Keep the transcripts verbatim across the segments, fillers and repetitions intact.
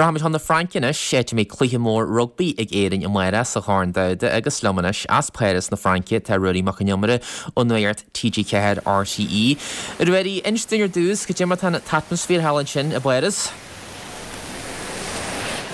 Rachaimid chun na Fraince anois, áit a mbeidh cluiche mór rugbaí ag Éirinn amárach sa Chorn Domhanda agus liom anois as Páras na Fraince tá Ruairí Mac Con Iomaire ó Nuacht T G Ceathair R T E. Ruairí, inis dúinn ar dtús, cad é mar tá an t-atmaisféar thall ansin i bPáras.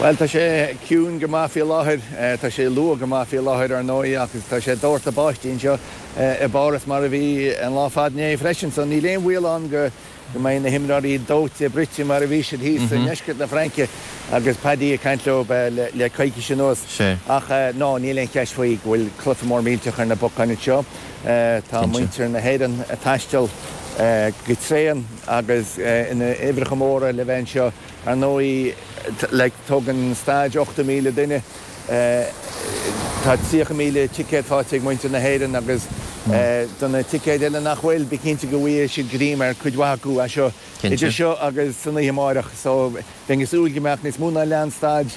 Well, tá sé ciúin go maith faoi láthair, tá sé luath go maith faoi láthair ar ndóigh, agus tá sé doirteadh báistí anseo i bPáras mar a bhí an lá fada inné freisin, so níl aon bhaol ann go go mbeidh na himreoirí dóite bruite mar a bhí siad thíos i ndeisceart na Fraince agus Paddy ag caint leo le le coicís anuas. Ach no, níl aon cheist faoi go bhfuil cluiche mór millteach ar na bacáin anseo. Tá muintir na hÉireann ag taisteal go tréan agus ina uimhreacha móra le bheith anseo. Ar ndóigh, like, tógann staid ochtó míle duine, tá tríocha míle ticéad faighte ag muintir na hÉireann agus do na ticéid eile nach bhfuil, bí cinnte go bhfaighidh siad greim ar cuid mhaith acu as seo, idir seo agus san oíche amárach. So bheinn ag súil go mbeadh níos mó ná leath an staid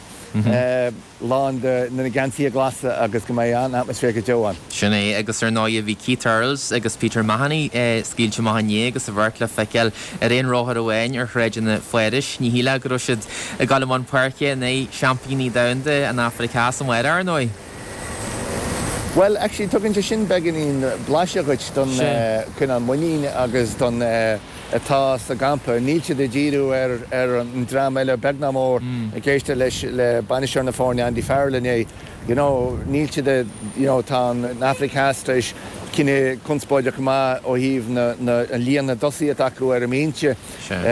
lán de na geansaithe glasa agus go mbeidh an-atmaisféar go deo ann. Sin é, agus ar ndóigh bhí Keith Earls agus Peter Mahony scaoilte amach inné agus a bheirt le feiceáil ar aon rothar amháin ar shráideanna Pháras. Ní shílfeá go raibh siad ag dul i mbun páirce in aghaidh seaimpíní domhanda an Afraic Theas amárach, ar ndóigh. Well, actually, tugann sé sin beagáinín blaiseadh dhuit don cineál muinín agus don atá sa gcampa. Níl siad ag díriú ar ar an dream eile beag ná mór. Ag éisteacht leis le bainisteoir na foirne Andy Farrell inné, You know, níl siad ag, you know, tá an Afraic Theas tar éis cinneadh conspóideach go maith ó thaobh na na an líon na dtosaithe atá acu ar an mbinse,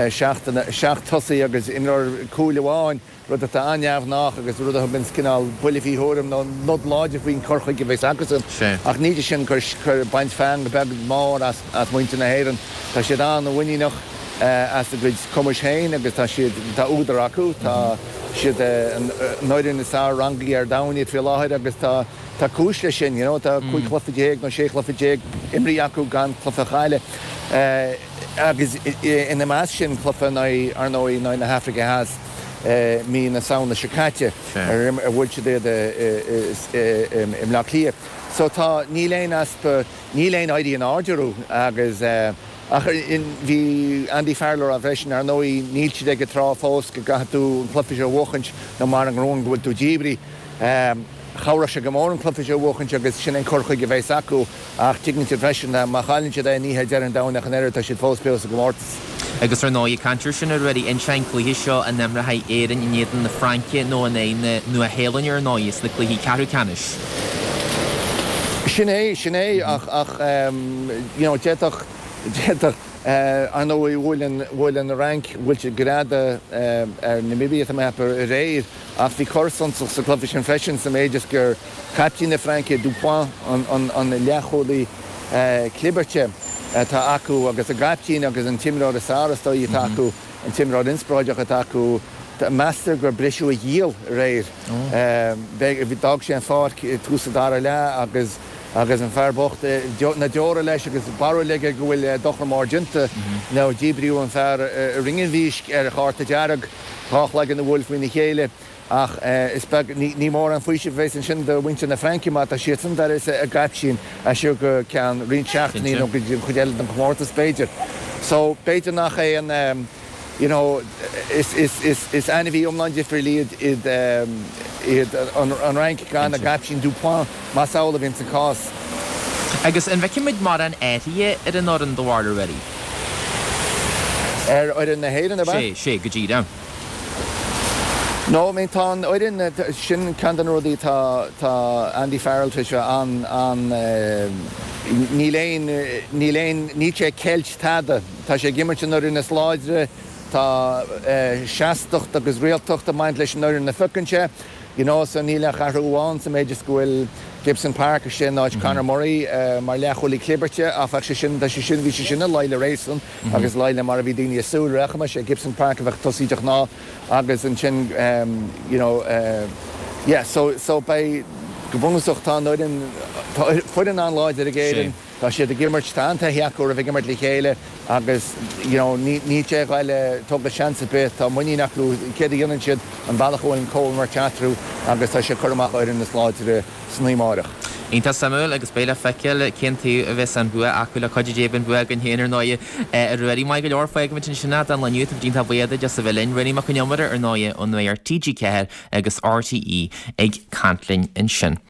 seacht seacht tosaí agus imreoir cúil amháin, rud atá an-neamhghnách agus rud a thugann cineál buille faoi thuairim nó nod láidir faoin cur chuige a bheas acusan. Ach níl sé sin ag cur baint feang beag mór as as muintir na hÉireann. Tá siad an-mhuiníneach as a gcuid cumais féin agus tá siad tá údar acu, tá siad an fhoireann is fearr rangaithe ar domhan iad faoi láthair agus tá tá cúis leis sin, you know, tá cúig chluiche déag nó sé chluiche déag imrithe acu gan cluiche a chailleadh. Agus ina measc sin cluiche in aghaidh, ar ndóigh, in aghaidh na hAfraice Theas mí na Samhna seo caite, ar bhuail siad iad i mBleá Cliath. So tá, níl aon easpa, níl aon éirí in airde orthu agus, ach bhí Andy Farrell ag rá freisin, ar ndóigh, níl siad ag an tráth fós go gcaithfidh tú an cluiche seo a bhuachaint nó mar an ngrún go bhfuil tú díbrithe. Chabhródh sé go mór an cluiche seo a bhuachaint agus sin an cur chuige a bheas acu, ach tuigeann siad freisin má chailleann siad é ní hé deireadh an domhain ach an oiread, tá siad fós beo sa gcomórtas. Agus ar ndóigh, ag caint air sin, a Ruairí, an cluiche seo a n-imreoidh Éirinn in éadan na Fraince nó in aghaidh na Nua-Shéalainne ar ndóigh sna cluichí ceathrú ceannais. Sin é, sin é, ach ach you know d'fhéadfadh d'fhéadfadh ar ndóigh bhuail an bhuail an Fhrainc, bhuail siad greadadh ar Namibia, tá mé ag ceapadh, aréir, ach bhí cor suntasach sa chluiche sin freisin sa méid is gur caiptín na Fraince, Dupont, an an an leathchúlaí clibirte atá acu agus a gcaiptín agus an t-imreoir is fearr is dóigh atá acu, an t-imreoir inspioráideach atá acu, meastar gur briseadh a ghiall aréir. D'fhág sé an pháirc i dtús an dara leath agus agus an fear bocht, na deora leis agus barúil aige go bhfuil dochar mór déanta nó díbríodh an fear i ringean mhísc ar chárta dearg, dhá chloigeann a bhuail faoina chéile. Ach is beag, ní mór an faoiseamh a bheas ansin do mhuintir na Fraince má tá siadsan d'uireasa a gcaiptín as seo go ceann roinnt seachtainí nó go dtí an chuid eile den chomórtas b'fhéidir. So b'fhéidir nach é an, you know, is, is, is, is ainmhí iomlán difriúil iad, iad, iad an, an Fhrainc gan a gcaiptín Dupont, más amhlaidh a bhíonn sa cás. Agus an bhfeicfimid mórán athruithe ar an fhoireann do bharúil, a Ruairí? Ar fhoireann na hÉireann, ab ea? Sé, sé, go díreach. No, I mean, tá an fhoireann, sin ceann de na rudaí tá tá Andy Farrell tar éis bheith an an níl aon níl aon níl sé ag ceilt tada. Tá sé ag imirt an fhoireann is láidre, tá seastacht agus rialtacht ag baint leis an fhoireann a phiocann sé. You know, so níl ach athrú amháin sa méid is go bhfuil Gibson Park istigh in áit Conor Murray mar leathchúlaí clibirte, ach bheadh sé sin, tá sé sin, bhí sé sin i luí le réasún agus i luí le mar a bhí daoine ag súil, rachaimis é Gibson Park a bheadh tosaí de ghnáth agus ansin you know yeah so so beidh go bunúsach tá an fhoireann tá foireann an-láidir ag Éirinn, tá siad ag imirt, tá an-taithí acu roimh ag imirt le chéile agus you know ní níl sé ag goil tógáil seans ar bith, tá muinín acu céard a dhéanann siad, an bealach a bhfuil an comhimirt eatarthu agus tá sé ag cur amach fhoireann is láidre san oíche amárach. Iontach suimiúil agus beidh le feiceáil cén taobh a bheas an bua acu le cuidiú Dé beidh an bua againn féin ar ndóigh a Ruairí. Maith go leor fágfaimid ansin é don lá inniu tá muid iontach buíoch duit as a bheith linn. Ruairí Mac Con Iomaire ar ndóigh ón Nuacht TG Ceathair agus RTÉ ag caint linn ansin.